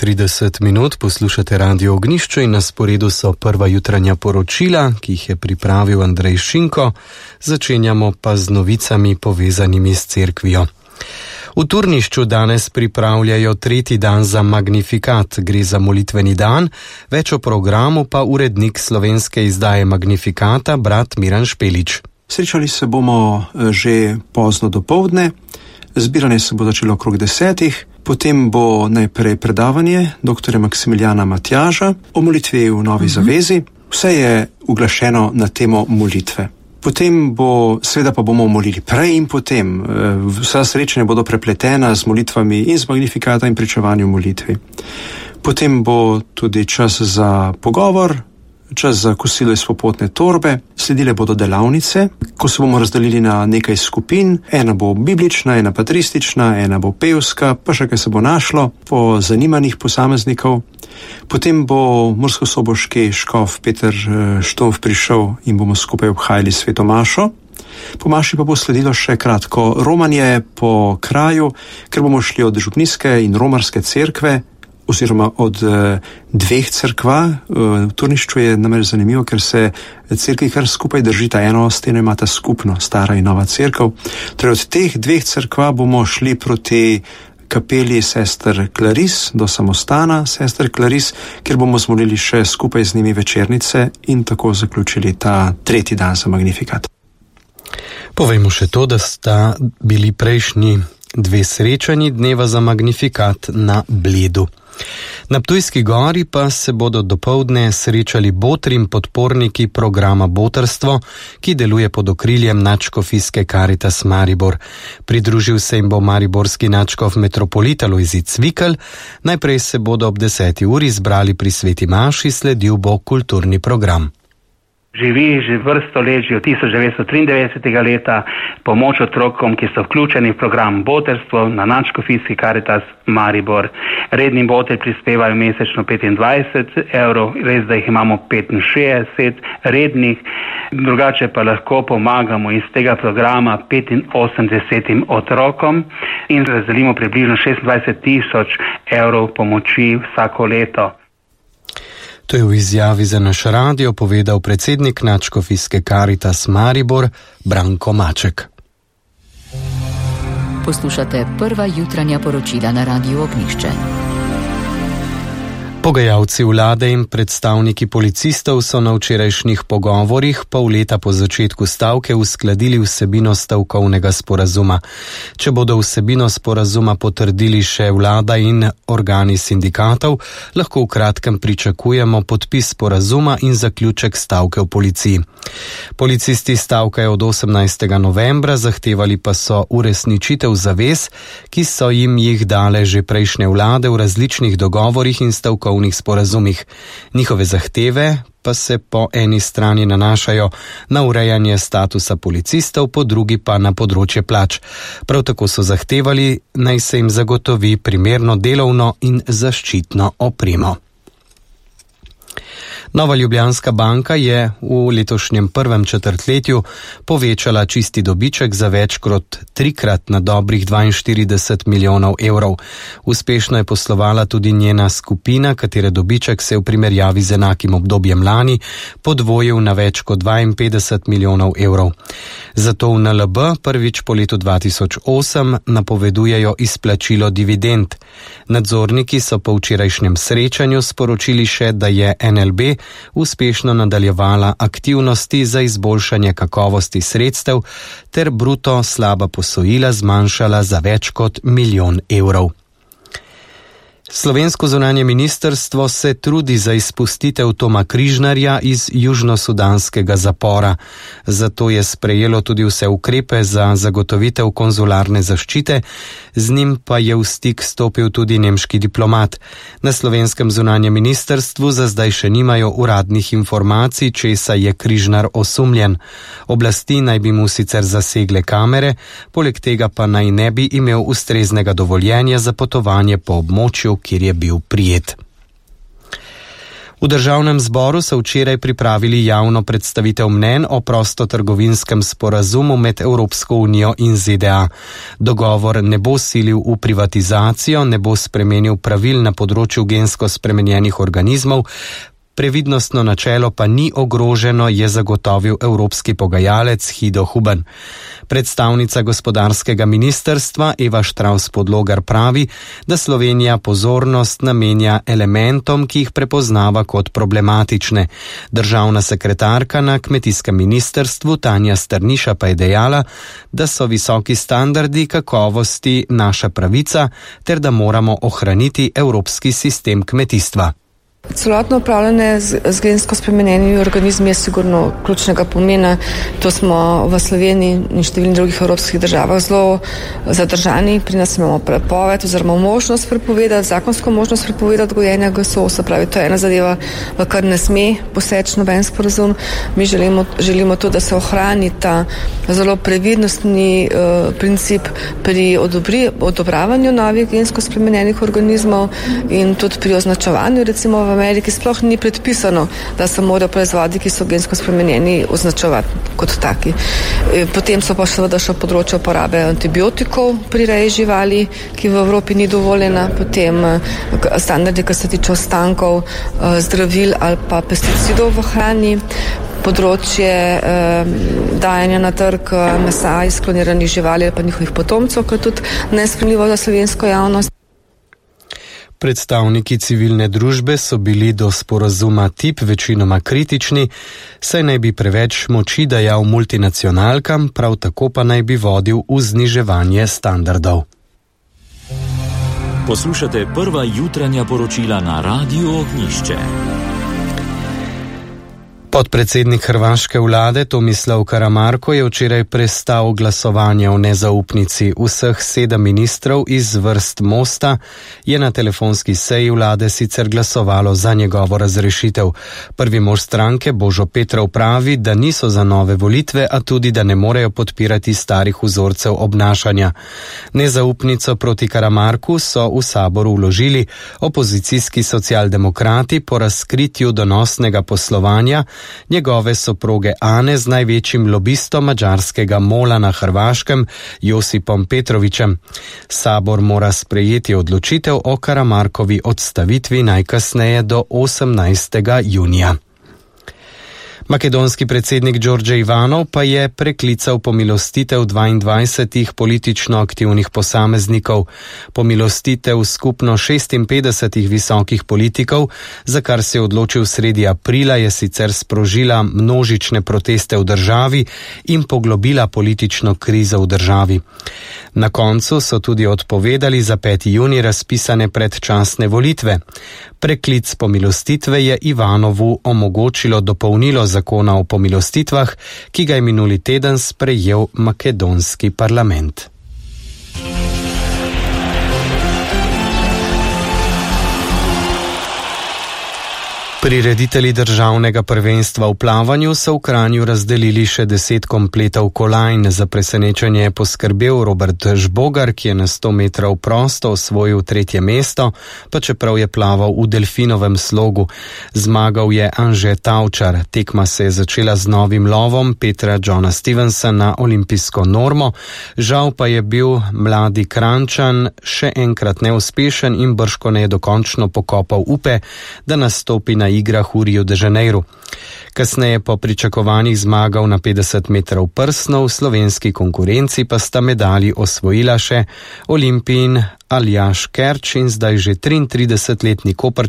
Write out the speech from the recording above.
9:30 poslušate Radio Ognjišče in na sporedu so prva jutranja poročila, ki jih je pripravil Andrej Šinko. Začenjamo pa z novicami povezanimi s cerkvijo. V Turnišču danes pripravljajo tretji dan za Magnifikat. Gre za molitveni dan, več o programu pa urednik slovenske izdaje Magnifikata, brat Miran Špelič. Srečali se bomo že pozno dopoldne, zbiranje se bo začelo okrog 10. Potem bo najprej predavanje dr. Maksimiljana Matjaža o molitvi v Novi Zavezi. Vse je uglašeno na temo molitve. Potem seveda pa bomo molili prej in potem. Vsa srečanja bodo prepletena z molitvami in z Magnifikata in pričevanjem molitvi. Potem bo tudi čas za pogovor, čas za kosilo iz popotne torbe, sledile bodo delavnice, ko se bomo razdelili na nekaj skupin, ena bo biblična, ena patristična, ena bo pevska, pa še kaj se bo našlo po zanimanjih posameznikov. Potem bo murskosoboški škof Peter Štof prišel in bomo skupaj obhajali sveto mašo. Po maši pa bo sledilo še kratko romanje po kraju, ker bomo šli od župnijske in romarske cerkve, oziroma od dveh cerkva. V Turnišču je namreč zanimivo, ker se cerkvi kar skupaj držita, eno steno imata skupno, stara in nova cerkev. Torej od teh dveh cerkva bomo šli proti kapeli sester Klaris, do samostana sester Klaris, kjer bomo zmolili še skupaj z njimi večernice in tako zaključili ta tretji dan za Magnifikat. Povejmo še to, da sta bili prejšnji dve srečanji dneva za Magnifikat na Bledu. Na Ptujski gori pa se bodo dopoldne srečali botri in podporniki programa Botrstvo, ki deluje pod okriljem nadškofijske Caritas Maribor. Pridružil se jim bo mariborski nadškof metropolit Alojzij Cvikl. Najprej se bodo ob 10. uri zbrali pri sveti maši, sledil bo kulturni program. Živi že vrsto let, že od 1993. leta, pomoč otrokom, ki so vključeni v program Botrstvo na nadškofijski Caritas Maribor. Redni botri prispevajo mesečno 25 evrov, res da jih imamo 65 rednih, drugače pa lahko pomagamo iz tega programa 85 otrokom in razdelimo približno 26 000 evrov pomoči vsako leto. To je v izjavi za naš radio povedal predsednik nadškofijske Caritas Maribor Branko Maček. Poslušate prva jutranja poročila na Radiu Ognjišče. Pogajalci vlade in predstavniki policistov so na včerajšnjih pogovorih pol leta po začetku stavke uskladili vsebino stavkovnega sporazuma. Če bodo vsebino sporazuma potrdili še vlada in organi sindikatov, lahko v kratkem pričakujemo podpis sporazuma in zaključek stavke v policiji. Policisti stavkajo od 18. novembra, zahtevali pa so uresničitev zavez, ki so jim jih dale že prejšnje vlade v različnih dogovorih in stavkovnih sporazumih. Njihove zahteve pa se po eni strani nanašajo na urejanje statusa policistov, po drugi pa na področje plač. Prav tako so zahtevali, naj se jim zagotovi primerno delovno in zaščitno opremo. Nova Ljubljanska banka je v letošnjem prvem četrtletju povečala čisti dobiček za več kot trikrat na dobrih 42 milijonov evrov. Uspešno je poslovala tudi njena skupina, katere dobiček se je v primerjavi z enakim obdobjem lani podvojil na več kot 52 milijonov evrov. Zato v NLB prvič po letu 2008 napovedujejo izplačilo dividend. Nadzorniki so po včerajšnjem srečanju sporočili še, da je NLB uspešno nadaljevala aktivnosti za izboljšanje kakovosti sredstev ter bruto slaba posojila zmanjšala za več kot 1 milijon evrov. Slovensko zunanje ministrstvo se trudi za izpustitev Toma Križnarja iz južnosudanskega zapora. Zato je sprejelo tudi vse ukrepe za zagotovitev konzularne zaščite, z njim pa je v stik stopil tudi nemški diplomat. Na slovenskem zunanjem ministrstvu za zdaj še nimajo uradnih informacij, česa je Križnar osumljen. Oblasti naj bi mu sicer zasegle kamere, poleg tega pa naj ne bi imel ustreznega dovoljenja za potovanje po območju, kjer je bil prijet. V državnem zboru so včeraj pripravili javno predstavitev mnenj o prostotrgovinskem sporazumu med Evropsko unijo in ZDA. Dogovor ne bo silil v privatizacijo, ne bo spremenil pravil na področju gensko spremenjenih organizmov, previdnostno načelo pa ni ogroženo, je zagotovil evropski pogajalec Hido Huben. Predstavnica gospodarskega ministrstva Eva Štravs-Podlogar pravi, da Slovenija pozornost namenja elementom, ki jih prepoznava kot problematične. Državna sekretarka na kmetijskem ministrstvu Tanja Strniša pa je dejala, da so visoki standardi kakovosti naša pravica ter da moramo ohraniti evropski sistem kmetijstva. Celotno upravljanje z gensko spremenjenimi organizmi je sigurno ključnega pomena. To smo v Sloveniji in številnih drugih evropskih državah zelo zadržani. Pri nas imamo prepoved oziroma možnost prepovedati, zakonsko možnost prepovedati gojenja GSO, se pravi, to je ena zadeva, v kar ne sme poseči noben sporazum. Mi želimo to, da se ohrani ta zelo previdnostni princip pri odobravanju novih gensko spremenjenih organizmov in tudi pri označevanju, recimo v Ameriki sploh ni predpisano, da se morajo proizvodi, ki so gensko spremenjeni, označevati kot taki. Potem so pa seveda še področje uporabe antibiotikov pri reji živali, ki v Evropi ni dovoljena, potem standardi, ki se tiče ostankov zdravil ali pa pesticidov v hrani, področje dajanja na trg mesa iz kloniranih živali ali pa njihovih potomcev, ki je tudi nesprejemljivo za slovensko javnost. Predstavniki civilne družbe so bili do sporazuma TTIP večinoma kritični, saj naj bi preveč moči dajal multinacionalkam, prav tako pa naj bi vodil v zniževanje standardov. Poslušate prva jutranja poročila na Radiu Ognjišče. Podpredsednik hrvaške vlade Tomislav Karamarko je včeraj prestal glasovanje o nezaupnici. Vseh 7 ministrov iz vrst Mosta je na telefonski seji vlade sicer glasovalo za njegovo razrešitev. Prvi mož stranke Božo Petrov pravi, da niso za nove volitve, a tudi, da ne morejo podpirati starih vzorcev obnašanja. Nezaupnico proti Karamarku so v saboru vložili opozicijski socialdemokrati po razkritju donosnega poslovanja njegove soproge Ane z največjim lobistom madžarskega MOL-a na Hrvaškem, Josipom Petrovićem. Sabor mora sprejeti odločitev o Karamarkovi odstavitvi najkasneje do 18. junija. Makedonski predsednik Đorđe Ivanov pa je preklical pomilostitev 22 politično aktivnih posameznikov. Pomilostitev skupno 56 visokih politikov, za kar se je odločil sredi aprila, je sicer sprožila množične proteste v državi in poglobila politično krizo v državi. Na koncu so tudi odpovedali za 5. junij razpisane predčasne volitve. Preklic pomilostitve je Ivanovu omogočilo dopolnilo zakona o pomilostitvah, ki ga je minuli teden sprejel makedonski parlament. Prireditelji državnega prvenstva v plavanju so v Kranju razdelili še 10 kompletov kolajn. Za presenečenje je poskrbel Robert Žbogar, ki je na 100 metrov prosto osvojil 3. mesto, pa čeprav je plaval v delfinovem slogu. Zmagal je Anže Tavčar. Tekma se je začela z novim lovom Petra Johna Stevensa na olimpijsko normo. Žal pa je bil mladi Krančan še enkrat neuspešen in bržkone je dokončno pokopal upe, da nastopi na igrah v Rio de Janeiro. Kasneje po pričakovanjih zmagal na 50 metrov prsno, v slovenski konkurenci pa sta medalji osvojila še Olimpijin Aljaž Kerč in zdaj že 33-letni Koprčan